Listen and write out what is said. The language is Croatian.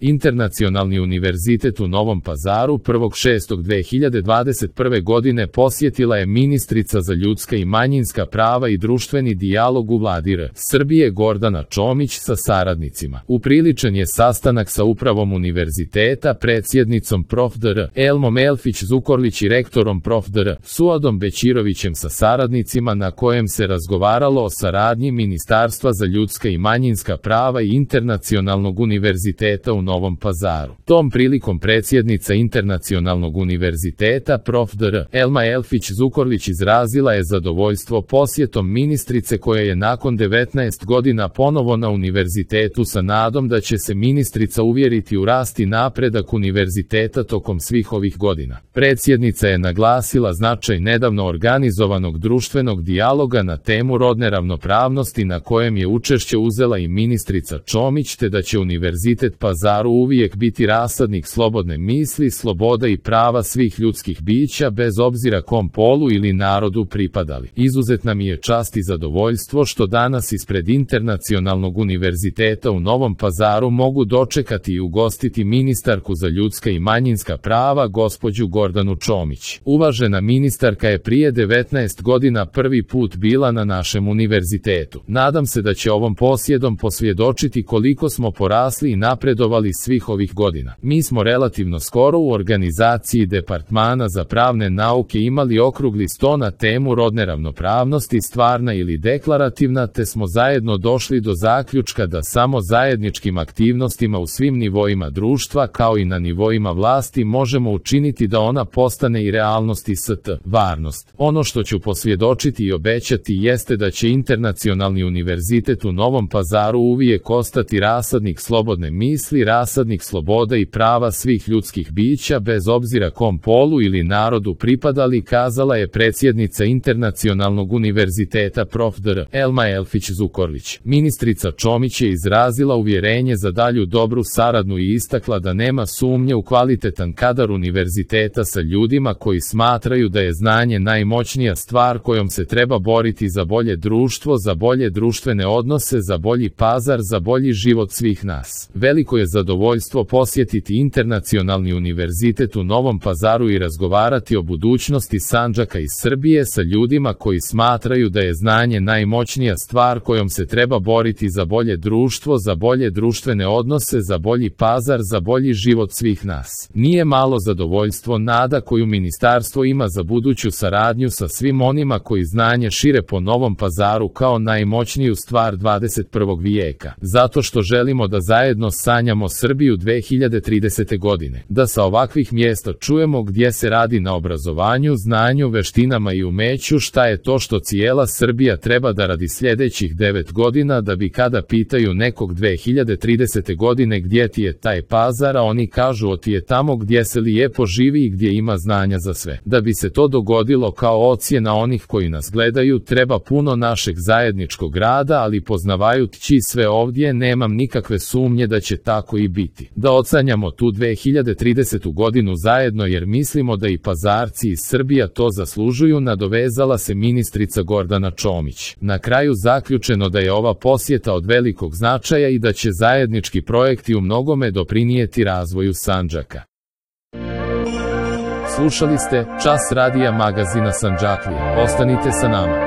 Internacionalni univerzitet u Novom Pazaru 1.6.2021. godine posjetila je ministrica za ljudska i manjinska prava i društveni dijalog u Vladi R. Srbije Gordana Čomić sa saradnicima. Upriličen je sastanak sa upravom univerziteta, predsjednicom prof. dr. Elmom Elfić Zukorlić i rektorom prof. dr. Suadom Bećirovićem sa saradnicima, na kojem se razgovaralo o saradnji Ministarstva za ljudska i manjinska prava i Internacionalnog univerziteta u Novom Pazaru. Tom prilikom predsjednica Internacionalnog univerziteta prof. dr. Elma Elfić Zukorlić izrazila je zadovoljstvo posjetom ministrice, koja je nakon 19 godina ponovo na univerzitetu, sa nadom da će se ministrica uvjeriti u rast i napredak univerziteta tokom svih ovih godina. Predsjednica je naglasila značaj nedavno organizovanog društvenog dijaloga na temu rodne ravnopravnosti, na kojem je učešće uzela i ministrica Čomić, te da će Univerzitet Pazaru uvijek biti rasadnik slobodne misli, sloboda i prava svih ljudskih bića bez obzira kom polu ili narodu pripadali. Izuzetna mi je čast i zadovoljstvo što danas ispred Internacionalnog univerziteta u Novom Pazaru mogu dočekati i ugostiti ministarku za ljudska i manjinska prava, gospođu Gordanu Čomić. Uvažena ministarka je prije 19 godina prvi put bila na našem univerzitetu. Nadam se da će ovom posjedom posvjedočiti koliko smo porasli i napredovali svih ovih godina. Mi smo relativno skoro u organizaciji Departmana za pravne nauke imali okrugli sto na temu rodne ravnopravnosti, stvarna ili deklarativna, te smo zajedno došli do zaključka da samo zajedničkim aktivnostima u svim nivoima društva, kao i na nivoima vlasti, možemo učiniti da ona postane i realnost i stvarnost. Ono što ću posvjedočiti i obećati jeste da će Internacionalni univerzitet u Novom Pazaru uvijek ostati rasadnik slobodne misli, rasadnik sloboda i prava svih ljudskih bića bez obzira kom polu ili narodu pripadali, kazala je predsjednica Internacionalnog univerziteta prof. dr. Elma Elfić Zukorlić. Ministrica Čomić je izrazila uvjerenje za dalju dobru saradnju i istakla da nema sumnje u kvalitetan kadar univerziteta sa ljudima koji smatraju da je znanje najmoćnija stvar kojom se treba boriti za bolje društvo, za bolje društvene odnose, za bolji Pazar, za bolji život svih nas. Veliko je zadovoljstvo posjetiti Internacionalni univerzitet u Novom Pazaru i razgovarati o budućnosti Sandžaka i Srbije sa ljudima koji smatraju da je znanje najmoćnija stvar kojom se treba boriti za bolje društvo, za bolje društvene odnose, za bolji Pazar, za bolji život svih nas. Nije malo zadovoljstvo, nada koju ministarstvo ima za buduću saradnju sa svim onima koji znanje šire po Novom Pazaru kao najmoćniju stvar 21. vijeka. Zato što želimo da zajedno sanjamo Srbiju 2030. godine. Da sa ovakvih mjesta čujemo gdje se radi na obrazovanju, znanju, veštinama i umeću, šta je to što cijela Srbija treba da radi sljedećih 9 godina, da bi kada pitaju nekog 2030. godine gdje ti je taj Pazar, a oni kažu o ti je tamo gdje se lijepo živi i gdje ima znanja za sve. Da bi se to dogodilo kao ocjena onih koji nas gledaju, treba puno našeg zajedničkog rada, ali poznavajući sve ovdje, nemam nikakve sumnje da će tako i biti. Da ocanjamo tu 2030. godinu zajedno, jer mislimo da i Pazarci i Srbija to zaslužuju, nadovezala se ministrica Gordana Čomić. Na kraju zaključeno da je ova posjeta od velikog značaja i da će zajednički projekti u mnogome doprinijeti razvoju Sandžaka. Slušali ste Čas radija magazina Sandžaklije. Ostanite sa nama.